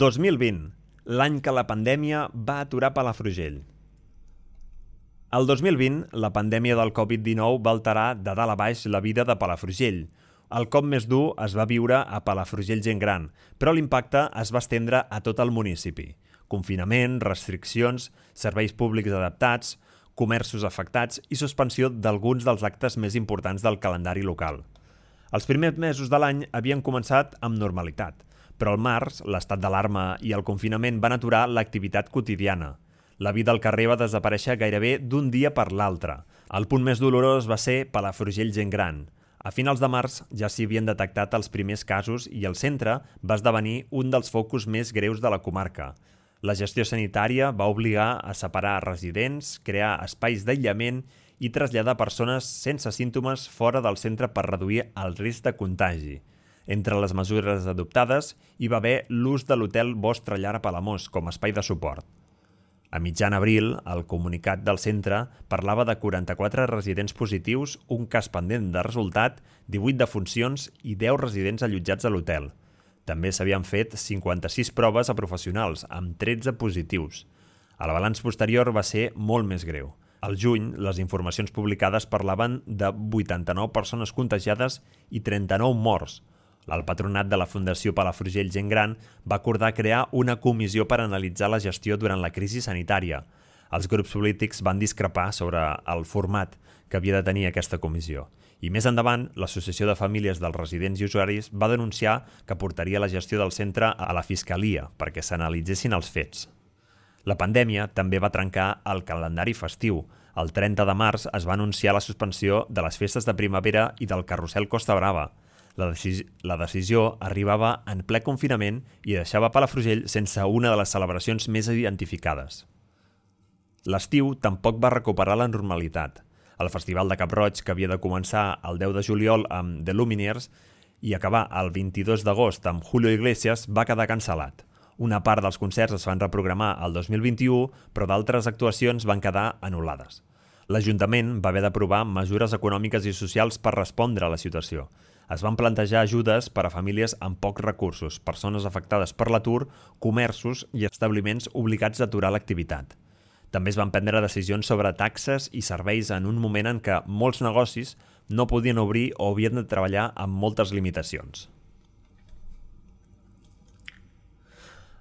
2020, l'any que la pandèmia va aturar Palafrugell. El 2020, la pandèmia del Covid-19 va alterar de dalt a baix la vida de Palafrugell. El cop més dur es va viure a Palafrugell gent gran, però l'impacte es va estendre a tot el municipi. Confinament, restriccions, serveis públics adaptats, comerços afectats i suspensió d'alguns dels actes més importants del calendari local. Els primers mesos de l'any havien començat amb normalitat, però al març, l'estat d'alarma i el confinament van aturar l'activitat quotidiana. La vida al carrer va desaparèixer gairebé d'un dia per l'altre. El punt més dolorós va ser Palafrugell gent gran. A finals de març ja s'hi havien detectat els primers casos i el centre va esdevenir un dels focus més greus de la comarca. La gestió sanitària va obligar a separar residents, crear espais d'aïllament i traslladar persones sense símptomes fora del centre per reduir el risc de contagi. Entre les mesures adoptades hi va haver l'ús de l'hotel Vostra Llar a Palamós com a espai de suport. A mitjan abril, el comunicat del centre parlava de 44 residents positius, un cas pendent de resultat, 18 defuncions i 10 residents allotjats a l'hotel. També s'havien fet 56 proves a professionals, amb 13 positius. El balanç posterior va ser molt més greu. Al juny, les informacions publicades parlaven de 89 persones contagiades i 39 morts. El patronat de la Fundació Palafrugell Gent Gran va acordar crear una comissió per analitzar la gestió durant la crisi sanitària. Els grups polítics van discrepar sobre el format que havia de tenir aquesta comissió. I més endavant, l'Associació de Famílies dels Residents i Usuaris va denunciar que portaria la gestió del centre a la Fiscalia perquè s'analitzessin els fets. La pandèmia també va trencar el calendari festiu. El 30 de març es va anunciar la suspensió de les festes de primavera i del carrusel Costa Brava. La decisió arribava en ple confinament i deixava Palafrugell sense una de les celebracions més identificades. L'estiu tampoc va recuperar la normalitat. El Festival de Cap-roig, que havia de començar el 10 de juliol amb The Lumineers i acabar el 22 d'agost amb Julio Iglesias, va quedar cancel·lat. Una part dels concerts es van reprogramar al 2021, però d'altres actuacions van quedar anul·lades. L'Ajuntament va haver d'aprovar mesures econòmiques i socials per respondre a la situació. Es van plantejar ajudes per a famílies amb pocs recursos, persones afectades per l'atur, comerços i establiments obligats a aturar l'activitat. També es van prendre decisions sobre taxes i serveis en un moment en què molts negocis no podien obrir o havien de treballar amb moltes limitacions.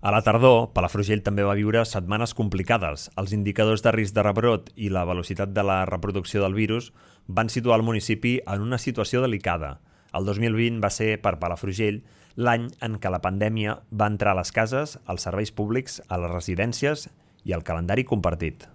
A la tardor, Palafrugell també va viure setmanes complicades. Els indicadors de risc de rebrot i la velocitat de la reproducció del virus van situar el municipi en una situació delicada. El 2020 va ser, per Palafrugell, l'any en què la pandèmia va entrar a les cases, als serveis públics, a les residències i al calendari compartit.